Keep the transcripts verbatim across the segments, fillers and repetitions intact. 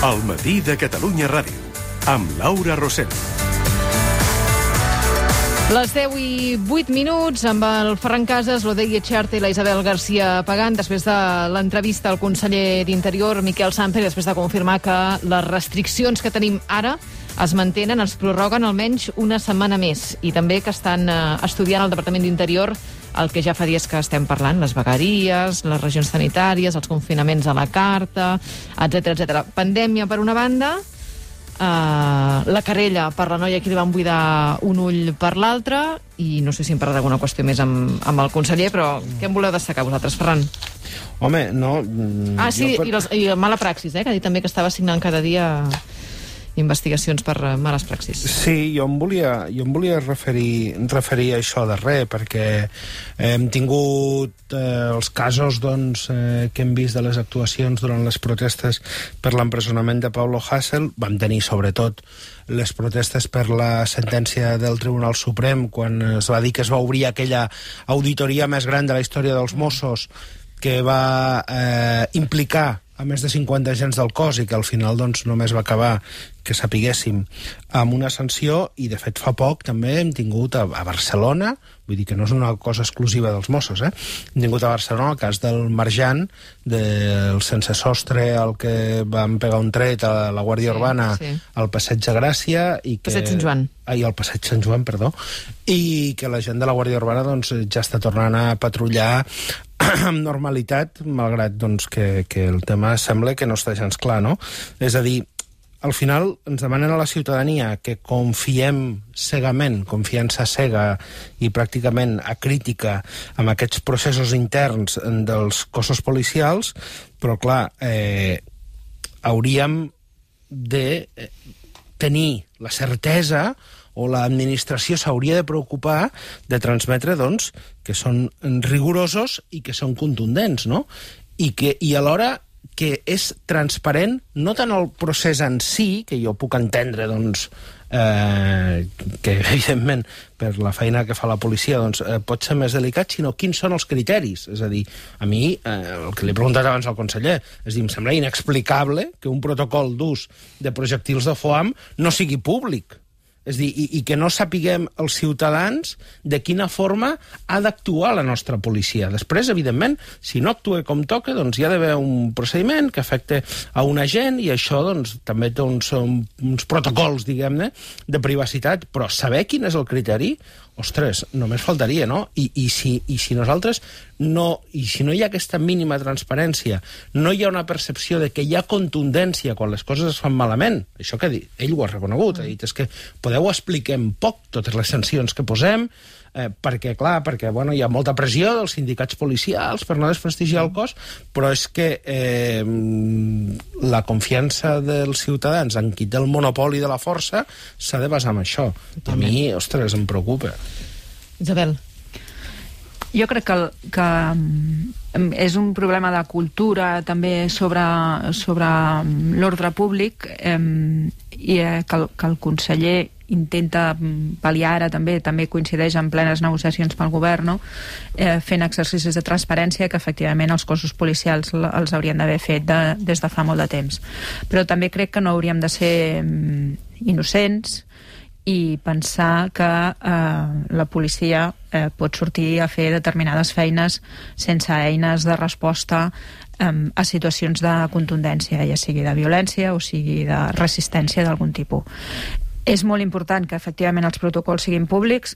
El matí de Catalunya Ràdio, amb Laura Rosell. Les deu i vuit minuts, amb el Ferran Casas, l'Odeia Charte i la Isabel García Pagant, després de l'entrevista al conseller d'Interior, Miquel Samper, després de confirmar que les restriccions que tenim ara es mantenen, es prorroguen almenys una setmana més, i també que estan eh, estudiant al Departament d'Interior el que ja fa dies que estem parlant, les vegueries, les regions sanitàries, els confinaments a la carta, etcètera, etcètera. Pandèmia per una banda, Uh, la querella per la noia que li van buidar un ull per l'altra, i no sé si hem parlat d'alguna qüestió més amb, amb el conseller, però què en voleu destacar vosaltres, Ferran? Home, no... Ah, sí, per... i, les, i mala praxis, eh, que ha dit també que estava signant cada dia investigacions per uh, males praxis. Sí, jo em volia, jo em volia referir, referir a això darrer, perquè hem tingut eh, els casos doncs, eh, que hem vist de les actuacions durant les protestes per l'empresonament de Pablo Hasél. Vam tenir, sobretot, les protestes per la sentència del Tribunal Suprem, quan es va dir que es va obrir aquella auditoria més gran de la història dels Mossos, que va eh, implicar a més de cinquanta agents del cos i que al final doncs, només va acabar, que sapiguéssim, amb una sanció. I de fet fa poc també hem tingut a, a Barcelona, vull dir que no és una cosa exclusiva dels Mossos, eh? Hem tingut a Barcelona el cas del Marjan, del sense sostre al que van pegar un tret a la Guàrdia sí, Urbana sí. al Passeig de Gràcia i que... Passeig Sant Joan. Ai, al Passeig Sant Joan, perdó. I que la gent de la Guàrdia Urbana doncs, ja està tornant a patrullar amb normalitat, malgrat doncs, que, que el tema sembla que no està gens clar, no? És a dir, al final ens demanen a la ciutadania que confiem cegament, confiança cega i pràcticament acrítica amb aquests processos interns dels cossos policials, però clar, eh, hauríem de tenir la certesa, o l'administració s'hauria de preocupar de transmetre, doncs, que són rigorosos i que són contundents, no? I, que, i alhora que és transparent, no tant el procés en si, que jo puc entendre, doncs, eh, que, evidentment, per la feina que fa la policia, doncs, eh, pot ser més delicat, sinó quins són els criteris. És a dir, a mi, eh, el que li he preguntat abans al conseller, és dir, em sembla inexplicable que un protocol d'ús de projectils de foam no sigui públic. És dir, i, i que no sapiguem els ciutadans de quina forma ha d'actuar la nostra policia. Després, evidentment, si no actua com toca, doncs hi ha d'haver un procediment que afecte a un agent, i això doncs, també té uns, uns protocols, diguem-ne, de privacitat, però saber quin és el criteri, ostres, només faltaria, no? I, i, si, i si nosaltres no, i si no hi ha aquesta mínima transparència, no hi ha una percepció de que hi ha contundència quan les coses es fan malament, això que dit, ell ho ha reconegut, ha dit, és que podeu explicar en poc totes les sancions que posem, eh, perquè, clar, perquè bueno, hi ha molta pressió dels sindicats policials per no desprestigiar el cos, però és que eh, la confiança dels ciutadans en qui té el monopoli de la força s'ha de basar en això. A mi, ostres, em preocupa. Isabel. Jo crec que, que és un problema de cultura també sobre, sobre l'ordre públic, eh, i que el, que el conseller intenta pal·liar ara també, també coincideix en plenes negociacions pel govern, no? eh, fent exercicis de transparència que efectivament els cossos policials els haurien d'haver fet de, des de fa molt de temps. Però també crec que no hauríem de ser innocents i pensar que eh, la policia eh, pot sortir a fer determinades feines sense eines de resposta eh, a situacions de contundència, ja sigui de violència o sigui de resistència d'algun tipus. És molt important que efectivament els protocols siguin públics.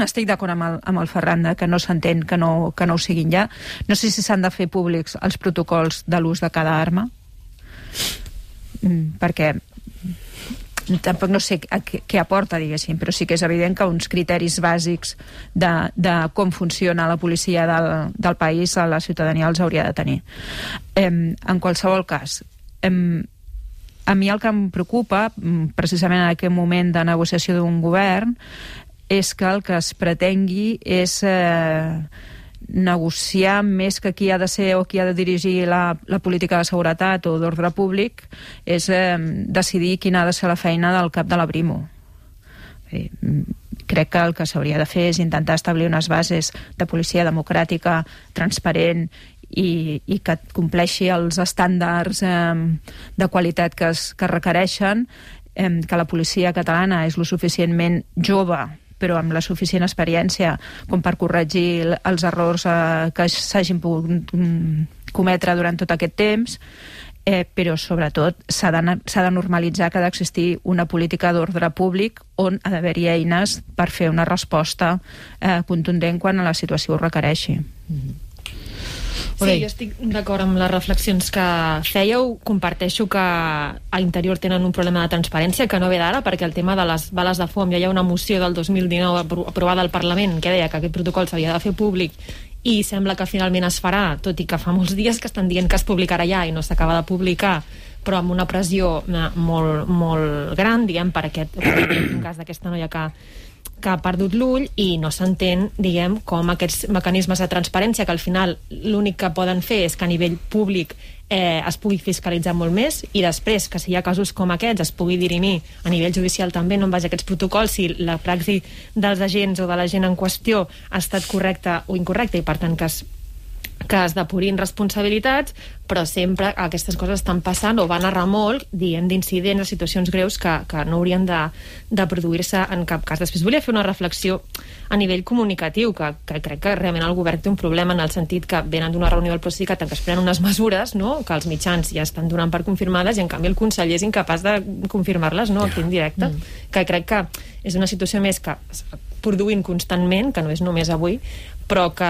Estic d'acord amb el, amb el Ferran que no s'entén que no, que no ho siguin ja. No sé si s'han de fer públics els protocols de l'ús de cada arma, perquè tampoc no sé què, què aporta, diguéssim, però sí que és evident que uns criteris bàsics de, de com funciona la policia del, del país a la ciutadania els hauria de tenir. Eh, en qualsevol cas, eh, a mi el que em preocupa, precisament en aquest moment de negociació d'un govern, és que el que es pretengui és eh, negociar més que qui ha de ser o qui ha de dirigir la, la política de seguretat o d'ordre públic, és eh, decidir quina ha de ser la feina del cap de la Brimo. Eh, crec que el que s'hauria de fer és intentar establir unes bases de policia democràtica, transparent i, i que compleixi els estàndards eh, de qualitat que es, que es requereixen, eh, que la policia catalana és lo suficientment jove però amb la suficient experiència com per corregir els errors eh, que s'hagin pogut cometre durant tot aquest temps, eh, però sobretot s'ha de, s'ha de normalitzar que ha d'existir una política d'ordre públic on ha d'haver-hi eines per fer una resposta eh, contundent quan la situació ho requereixi. Mm-hmm. Sí, jo estic d'acord amb les reflexions que fèieu. Comparteixo que a Interior tenen un problema de transparència que no ve d'ara, perquè el tema de les bales de foam, ja hi ha una moció del dos mil dinou aprovada al Parlament que deia que aquest protocol s'havia de fer públic i sembla que finalment es farà, tot i que fa molts dies que estan dient que es publicarà ja i no s'acaba de publicar, però amb una pressió molt, molt gran, diguem, per aquest, per un cas d'aquesta noia que que ha perdut l'ull i no s'entén, diguem, com aquests mecanismes de transparència, que al final l'únic que poden fer és que a nivell públic eh, es pugui fiscalitzar molt més i després, que si hi ha casos com aquests, es pugui dirimir a nivell judicial també, no en base a aquests protocols, si la praxi dels agents o de la gent en qüestió ha estat correcta o incorrecta i per tant que es que es depurin responsabilitats, però sempre aquestes coses estan passant o van a remolc, diguem, d'incidents o situacions greus que, que no haurien de, de produir-se en cap cas. Després volia fer una reflexió a nivell comunicatiu, que, que crec que realment el govern té un problema en el sentit que venen d'una reunió del Procicat en què es prenen unes mesures, no?, que els mitjans ja estan donant per confirmades i en canvi el conseller és incapaç de confirmar-les, no?, aquí en directe, mm. que crec que és una situació més que produint constantment, que no és només avui, però que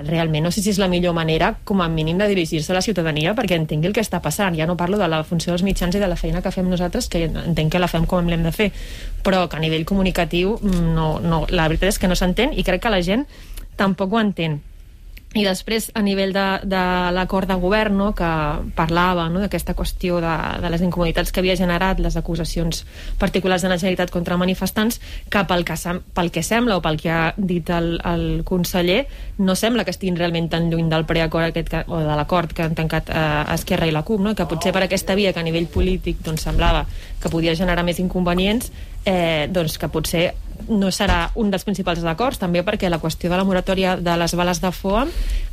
realment no sé si és la millor manera, com a mínim, de dirigir-se a la ciutadania perquè entengui el que està passant. Ja no parlo de la funció dels mitjans i de la feina que fem nosaltres, que entenc que la fem com l'hem de fer, però que a nivell comunicatiu no, no, la veritat és que no s'entén i crec que la gent tampoc ho entén. I després, a nivell de, de l'acord de govern, no?, que parlava, no?, d'aquesta qüestió de, de les incomoditats que havia generat les acusacions particulars de la Generalitat contra manifestants, que pel que, pel que sembla o pel que ha dit el, el conseller, no sembla que estiguin realment tan lluny del preacord aquest que, o de l'acord que han tancat eh, Esquerra i la CUP, no?, que potser per aquesta via que a nivell polític doncs, semblava que podia generar més inconvenients, eh, doncs que potser no serà un dels principals acords, també perquè la qüestió de la moratòria de les bales de foam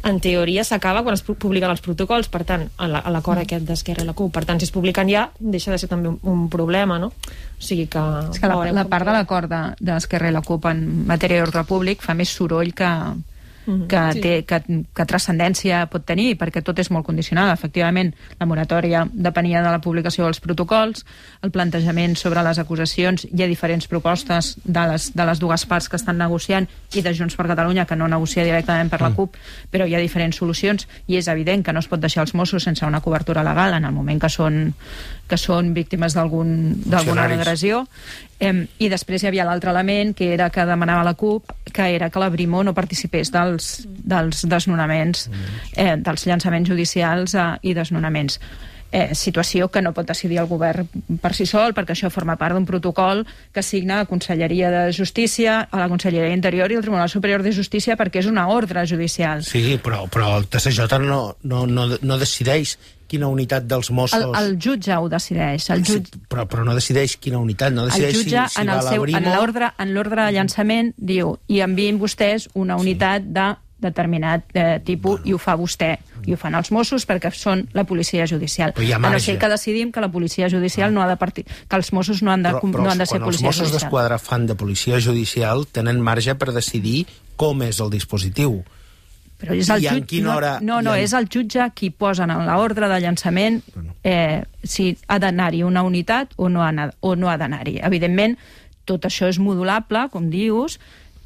en teoria s'acaba quan es publiquen els protocols, per tant, a l'acord aquest d'Esquerra i la CUP, per tant, si es publiquen ja deixa de ser també un, un problema, no? O sigui que... És que la, la part de l'acord d'Esquerra i la CUP en matèria d'ordre públic fa més soroll que... que, sí. té, que, que transcendència pot tenir, perquè tot és molt condicional. Efectivament, la moratòria depenia de la publicació dels protocols, el plantejament sobre les acusacions, hi ha diferents propostes de les, de les dues parts que estan negociant i de Junts per Catalunya, que no negocia directament per la CUP, però hi ha diferents solucions i és evident que no es pot deixar els Mossos sense una cobertura legal en el moment que són, que són víctimes d'alguna agressió. Eh, I després hi havia l'altre element, que era que demanava la CUP, que era que la Brimo no participés dels, dels desnonaments, eh, dels llançaments judicials eh, i desnonaments. Eh, situació que no pot decidir el govern per si sol, perquè això forma part d'un protocol que signa la Conselleria de Justícia, a la Conselleria d'Interior i el Tribunal Superior de Justícia, perquè és una ordre judicial. Sí, però, però el T S J no, no, no, no decideix quina unitat dels Mossos... El, el jutge ho decideix. El jutge... Sí, però, però no decideix quina unitat, no decideix el jutge, si, si en va el a la seu, Brimo... En l'ordre en l'ordre de llançament diu i enviïn vostès una unitat sí. de determinat eh, tipus bueno. I ho fa vostè. I ho fan els Mossos perquè són la policia judicial. A no ser que decidim que la policia judicial ah. no ha de partir... que els Mossos no han de, però, però no han de ser policia judicial. Però els Mossos d'Esquadra fan de policia judicial tenen marge per decidir com és el dispositiu. Però és el jutge, hora, no, no, no en... és el jutge qui posa en l'ordre de llançament eh, si ha d'anar-hi una unitat o no ha, o no ha d'anar-hi. Evidentment, tot això és modulable, com dius,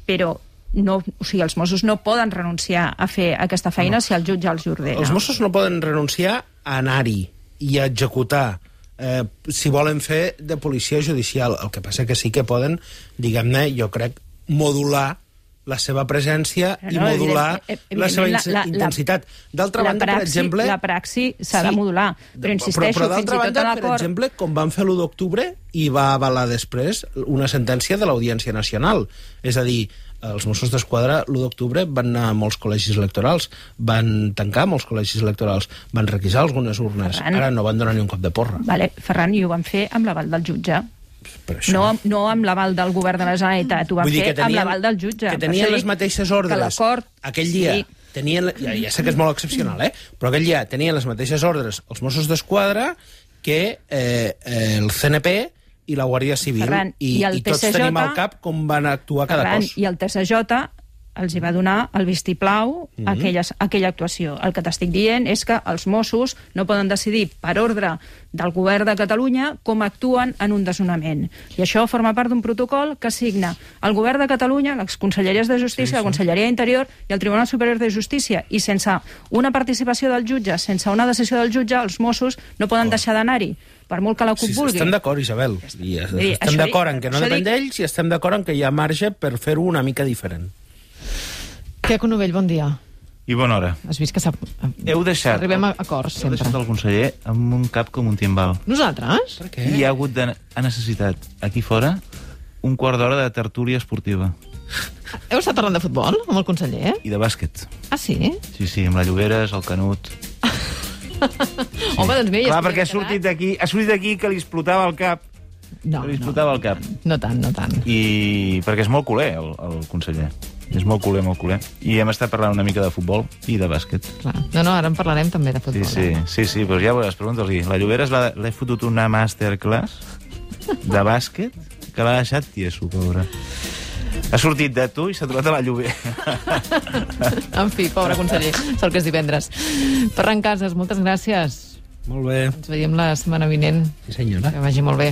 però no, o sigui, els Mossos no poden renunciar a fer aquesta feina no. si el jutge els ordena. Els Mossos no poden renunciar a anar-hi i a executar eh, si volen fer de policia judicial. El que passa que sí que poden, diguem-ne, jo crec, modular la seva presència no, i modular evident, la seva la, la, intensitat. D'altra banda, praxi, per exemple... La praxi s'ha sí, de modular, però insisteixo, però, però fins i tot banda, a l'acord... Per exemple, com van fer l'u d'octubre i va avalar després una sentència de l'Audiència Nacional. És a dir, els Mossos d'Esquadra l'u d'octubre van anar a molts col·legis electorals, van tancar molts col·legis electorals, van requisar algunes urnes, Ferran, ara no van donar ni un cop de porra. Vale, Ferran, i ho van fer amb l'aval del jutge. No, no amb l'aval del govern de la Generalitat, ho van fer tenien, amb l'aval del jutge. Que tenien les mateixes ordres aquell dia. Sí. tenien, ja, ja sé que és molt excepcional, eh? però aquell dia tenien les mateixes ordres els Mossos d'Esquadra que eh, eh, el C N P i la Guàrdia Civil. Ferran, I, i el i tots T C J, tenim al cap com van actuar cada Ferran, cos. I el T C J els hi va donar el vistiplau Mhm. a aquelles, a aquella actuació. El que t'estic dient és que els Mossos no poden decidir per ordre del govern de Catalunya com actuen en un desnonament. I això forma part d'un protocol que signa el govern de Catalunya, les Conselleries de Justícia, sí, sí. la Conselleria d'Interior i el Tribunal Superior de Justícia. I sense una participació del jutge, sense una decisió del jutge, els Mossos no poden oh. deixar d'anar-hi, per molt que la CUP sí, vulgui. Estem d'acord, Isabel. I Dir, estem d'acord en que no depèn dic... d'ells i estem d'acord en que hi ha marge per fer-ho una mica diferent. Queco Novell, bon dia. I bona hora. Has vist que s'ha... Heu deixat... Arribem a acords, Heu sempre. deixat el conseller amb un cap com un timbal. Nosaltres? Per què? I hi ha hagut, de, ha necessitat, aquí fora, un quart d'hora de tertúlia esportiva. Heu estat parlant de futbol amb el conseller? I de bàsquet. Ah, sí? Sí, sí, amb la Lloberes, el Canut... Sí. Home, doncs bé... Ja Clar, perquè ha sortit d'aquí ha sortit d'aquí que li explotava el cap. No, que li no, explotava el cap. no tant, no tant. I perquè és molt culer, el, el conseller. És molt culer, molt culer. I hem estat parlant una mica de futbol i de bàsquet. Clar. No, no, ara en parlarem també de futbol. Sí, sí, eh? sí, sí, però ja veuràs, pregunta-li. La Lloberes l'he fotut una masterclass de bàsquet que l'ha deixat tieso, pobra. Ha sortit de tu i s'ha trobat a la Llobera. En fi, pobre conseller, sort que és divendres. Ferran Casas, moltes gràcies. Molt bé. Ens veiem la setmana vinent. Sí, senyora. Que vagi molt bé.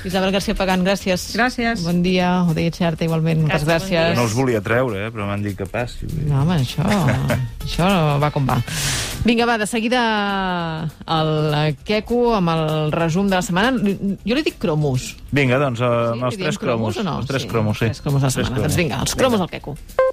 Isabel García Pagán, gràcies. Gràcies. Bon dia. Odeia Xerta, igualment. Moltes Gràcies, gràcies. bon No els volia treure, eh, però m'han dit que passi. No, home, això, això va com va. Vinga, va, de seguida el Queco amb el resum de la setmana. Jo li dic cromos. Vinga, doncs, uh, Sí, amb els li diem tres cromos. o no? Els tres Sí, cromos, sí. Tres cromos a la Tres setmana. Doncs vinga, els cromos al Queco.